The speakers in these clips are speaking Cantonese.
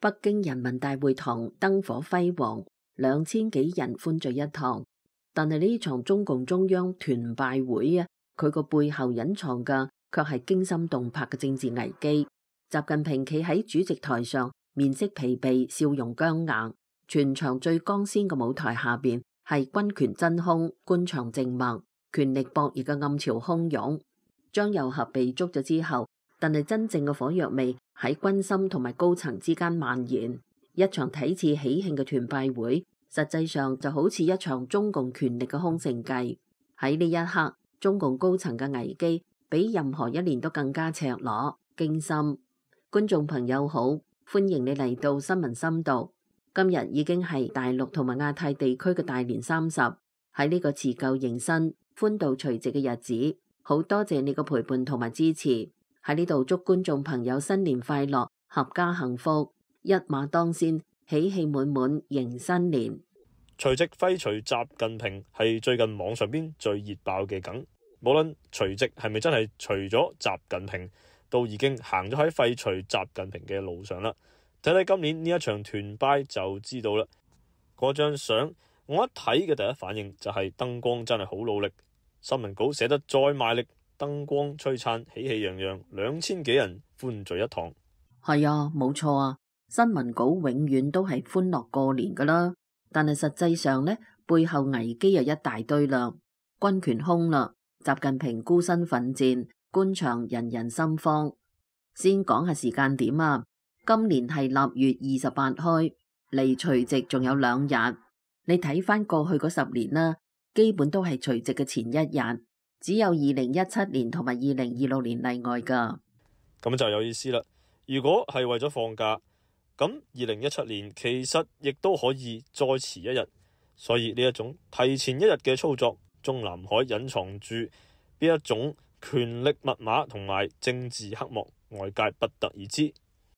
北京人民大會堂燈火輝煌，2000幾人歡聚一堂。但係呢場中共中央團拜會啊，佢個背後隱藏嘅卻係驚心動魄嘅政治危機。習近平企喺主席台上，面色疲憊，笑容僵硬。全場最光鮮嘅舞台下邊係軍權真空，官場靜默，權力博弈嘅暗潮洶湧。張又俠被捉咗之後，但係真正嘅火藥味喺軍心同埋高層之間蔓延。一場睇似喜慶嘅團拜會，實際上就好似一場中共權力嘅空城計。喺呢一刻，中共高層嘅危機比任何一年都更加赤裸驚心。觀眾朋友好，歡迎你嚟到新聞深度。今日已經係大陸同埋亞太地區嘅大年30，喺呢個辭舊迎新、歡度除夕嘅日子，好多謝你嘅陪伴同埋支持。喺呢度祝觀眾朋友新年快樂，合家幸福，一馬當先，喜氣滿滿迎新年。除夕廢除習近平係最近網上邊最熱爆嘅梗，無論除夕係咪真係除咗習近平，都已經行咗喺廢除習近平嘅路上啦。睇睇今年呢一場團拜就知道啦。嗰張相我一睇嘅第一反應就係燈光真係好努力，新聞稿寫得再賣力，燈光璀璨，喜氣洋洋，2000幾人歡聚一堂。係啊，冇錯啊，新聞稿永遠都係歡樂過年噶啦，但係實際上呢，背後危機又一大堆啦，軍權空啦，習近平孤身奮戰，官場人人心慌。先講下時間點啊。今年係臘月28開，離除夕仲有2日。你睇翻過去嗰10年啦，基本都係除夕嘅前一日，只有2017年同埋2026年例外噶。咁就有意思啦。如果係為咗放假，咁2017年其實亦都可以再遲一日。所以呢一種提前一日嘅操作，中南海隱藏住邊一種權力密碼同埋政治黑幕，外界不得而知。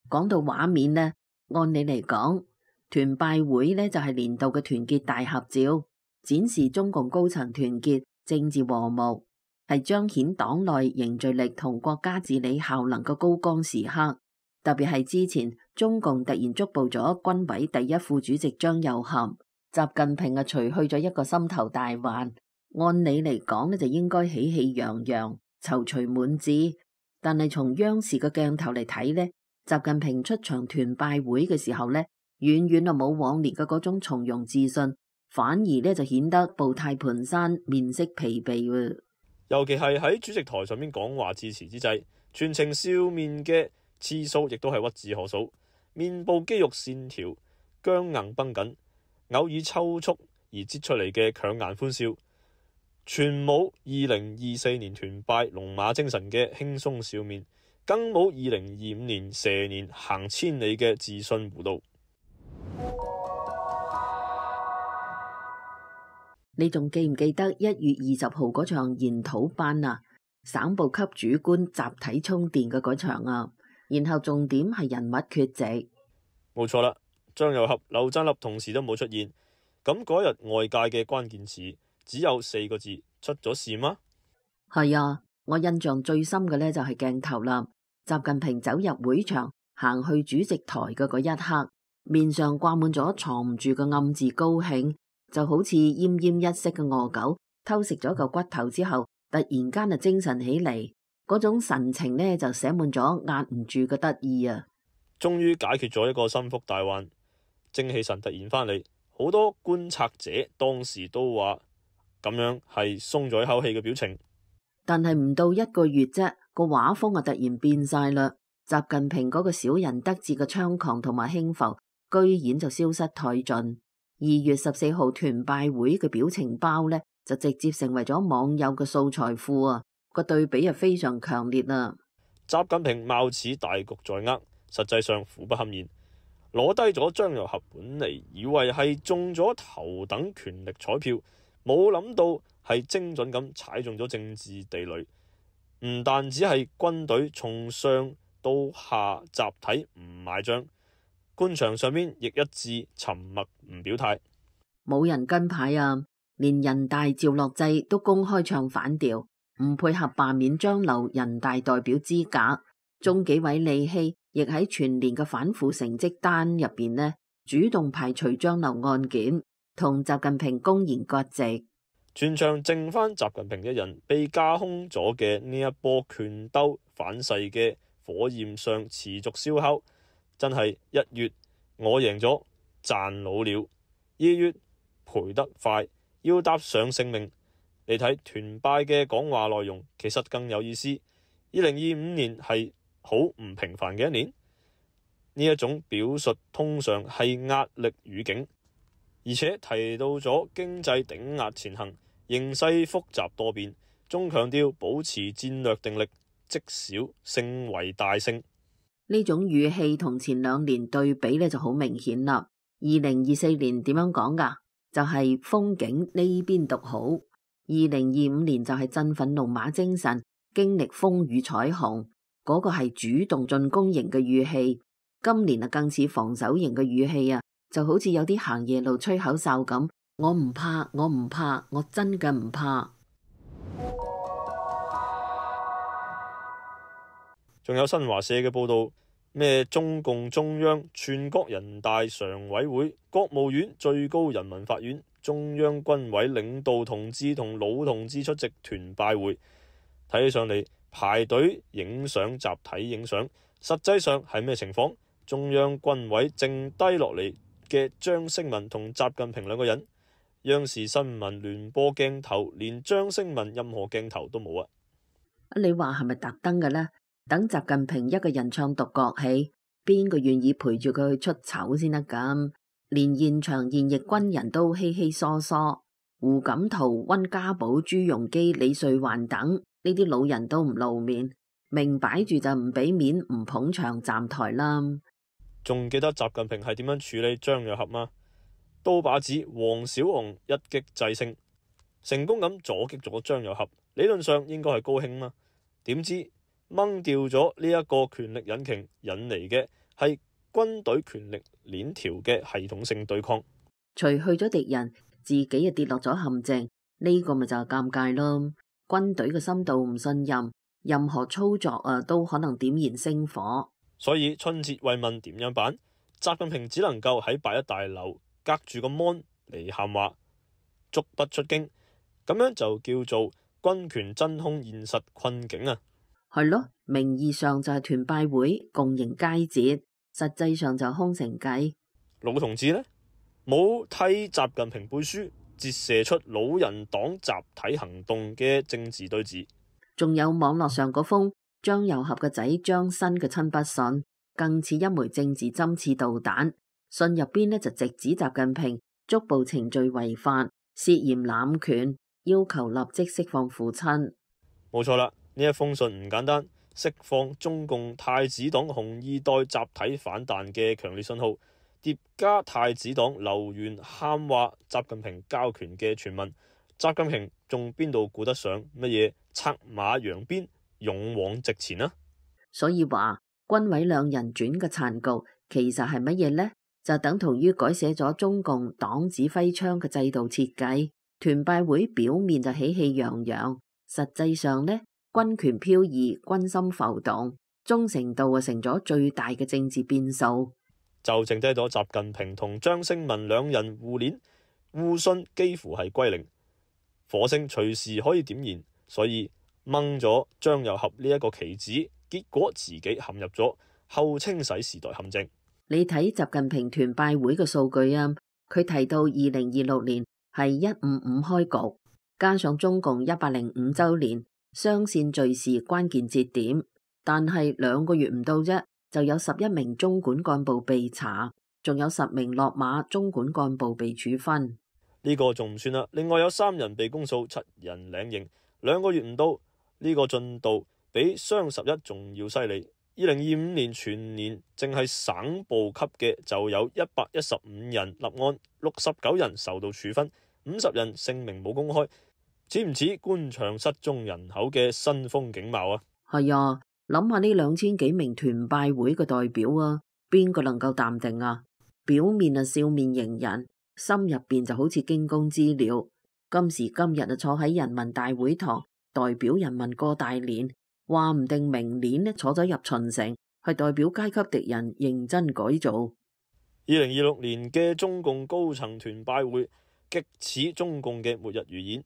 講到畫面呢，按理嚟講，團拜會呢就係年度嘅團結大合照，展示中共高層團結、政治和睦，係彰顯黨內凝聚力同國家治理效能嘅高光時刻。特別係之前中共突然捉捕咗軍委第一副主席張又俠，習近平啊除去咗一個心頭大患。按理嚟講呢就應該喜氣洋洋、躊躇滿志，但係從央視嘅鏡頭嚟睇呢，習近平出場團拜會嘅時候呢，遠遠啊冇往年嘅嗰種從容自信，反而呢就顯得步態蹣跚、面色疲憊。尤其係喺主席台上面講話致辭之際，全程笑面嘅次數亦都係屈指可數，面部肌肉線條僵硬繃緊，偶爾抽搐而擠出嚟嘅強顏歡笑，全冇2024年團拜龍馬精神嘅輕鬆笑面，更冇2025年蛇年行千里嘅自信弧度。你仲記唔記得1月20號嗰場研討班啊？省部級主官集體充電嘅嗰場啊，然後重點係人物缺席。冇錯啦，張又俠、劉振立同時都冇出現。咁嗰日外界嘅關鍵詞只有4個字：出咗事嗎？係啊，我印象最深嘅呢就係鏡頭啦。習近平走入會場，行去主席台嘅嗰一刻，面上掛滿咗藏唔住嘅暗自高興，就好似奄奄一息嘅餓狗偷食咗嚿骨頭之後，突然間就精神起嚟，嗰種神情呢就寫滿咗壓唔住嘅得意啊！終於解決咗一個心腹大患，精氣神突然翻嚟，好多觀察者當時都話咁樣係鬆咗一口氣嘅表情。但係唔到1個月啫，個畫風啊突然變晒啦。習近平嗰個小人得志嘅猖狂同埋輕浮，居然就消失殆盡。2月14號團拜會嘅表情包呢，就直接成為咗網友嘅素材庫啊！個對比啊非常強烈啊！習近平貌似大局在握，實際上苦不堪言，攞低咗張又俠，本嚟以為係中咗頭等權力彩票，冇諗到係精準咁踩中咗政治地雷。唔單止係軍隊從上到下集體唔買賬，官場上面亦一致沉默唔表態，冇人跟牌啊！連人大趙樂際都公開唱反調，唔配合罷免張劉人大代表資格。中紀委利希亦喺全年嘅反腐成績單入邊呢，主動排除張劉案件，同習近平公然割席。全場剩翻習近平一人，被架空咗嘅呢一波權鬥反噬嘅火焰上持續燒烤，真係1月我贏咗，賺老了；2月賠得快，要搭上性命。你睇團拜嘅講話內容，其實更有意思。2025年係好唔平凡嘅一年，呢一種表述通常係壓力語境，而且提到咗經濟頂壓前行，形勢複雜多變，仲強調保持戰略定力，積小勝為大勝。呢種語氣同前2年對比呢就好明顯啦。2024年點樣講㗎？就係風景呢邊獨好。2025年就係振奮龍馬精神，經歷風雨彩虹，嗰個係主動進攻型嘅語氣。今年啊更似防守型嘅語氣啊，就好似有啲行夜路吹口哨咁。我唔怕，我唔怕，我真嘅唔怕。仲有新華社嘅報道，咩中共中央、全國人大常委會、國務院、最高人民法院、中央軍委領導同志同老同志出席團拜會，睇起上嚟排隊影相、集體影相，實際上係咩情況？中央軍委剩低落嚟嘅張升文同習近平2個人，央視新聞聯播鏡頭連張升文任何鏡頭都冇啊！你話係咪特登嘅呢？等習近平一個人唱獨角戲，邊個願意陪住佢去出醜先得咁？連現場現役軍人都稀稀疏疏，胡錦濤、溫家寶、朱鎔基、李瑞環等呢啲老人都唔露面，明擺住就唔俾面，唔捧場站台啦。仲記得習近平係點樣處理張又俠嗎？刀把子黃小紅一擊制勝，成功咁阻擊咗張又俠，理論上應該係高興嘛？點知掹掉咗呢一個權力引擎，引嚟嘅係軍隊權力鏈條嘅系統性對抗。除去咗敵人，自己就跌落咗陷阱，呢個咪就係尷尬咯。軍隊嘅深度唔信任，任何操作都可能點燃星火。所以春節慰問點樣辦？習近平只能夠喺8·1大樓隔住個 mon 嚟喊話，足不出京，咁樣就叫做軍權真空現實困境啊！係咯，名義上就係團拜會共迎佳節，實際上就空城計。老同志呢，冇替習近平背書，折射出老人黨集體行動嘅政治對峙。仲有網絡上嗰封張又俠嘅仔張新嘅親筆信，更似一枚政治針刺導彈。信入邊呢就直指習近平觸捕程序違法，涉嫌濫權，要求立即釋放父親。冇錯啦，呢一封信唔簡單，釋放中共太子黨紅二代集體反彈嘅強烈信號，疊加太子黨留言喊話習近平交權嘅傳聞，習近平仲邊度顧得上乜嘢策馬揚鞭，勇往直前啊？所以話軍委2人轉嘅殘局，其實係乜嘢呢？就等同於改寫咗中共黨指揮槍嘅制度設計。團拜會表面就喜氣洋洋，實際上呢，軍權飄移，軍心浮動，忠誠度啊成咗最大嘅政治變數。就剩低咗習近平同張升文2人互鏈互信，幾乎係歸零，火星隨時可以點燃，所以掹咗張又俠呢一個棋子，結果自己陷入咗後清洗時代陷阱。你睇習近平團拜會嘅數據啊，佢提到2026年係155開局，加上中共105週年雙線敘事關鍵節點，但係2個月唔到啫，就有11名中管幹部被查，仲有10名落馬中管幹部被處分。呢個仲唔算啦，另外有3人被公訴，7人領刑，2個月唔到，呢個進度比雙11仲要犀利。2025年全年淨係省部級嘅就有115人立案，69人受到處分，50人姓名冇公開，似唔似官場失蹤人口嘅新風景貌啊？係啊，諗下呢2000幾名團拜會嘅代表啊，邊個能夠淡定啊？表面啊笑面迎人，心入邊就好似驚弓之鳥。今時今日啊坐喺人民大會堂，代表人民過大年。話唔定明年呢坐咗入秦城，係代表階級敵人認真改造。2026年嘅中共高層團拜會，極似中共嘅末日預演。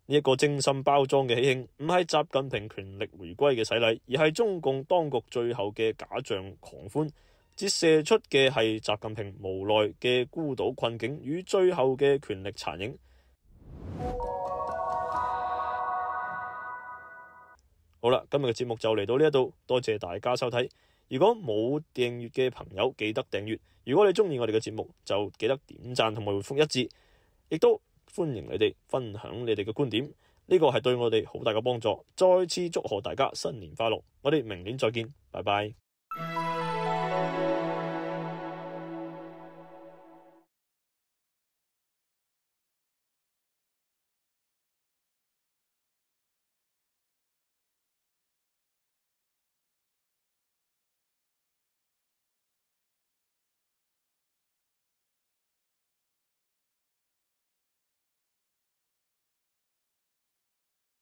呢一個精心包裝嘅喜慶，唔係習近平權力回歸嘅洗禮，而係中共當局最後嘅假象狂歡，折射出嘅係習近平無奈嘅孤島困境與最後嘅權力殘影。好啦，今日嘅節目就嚟到呢一度，多謝大家收睇。如果冇訂閱嘅朋友，記得訂閱。如果你中意我哋嘅節目，就記得點讚同埋回覆一致，亦都歡迎你哋分享你哋嘅觀點，呢個係對我哋好大嘅幫助。再次祝賀大家新年快樂，我哋明年再見，拜拜。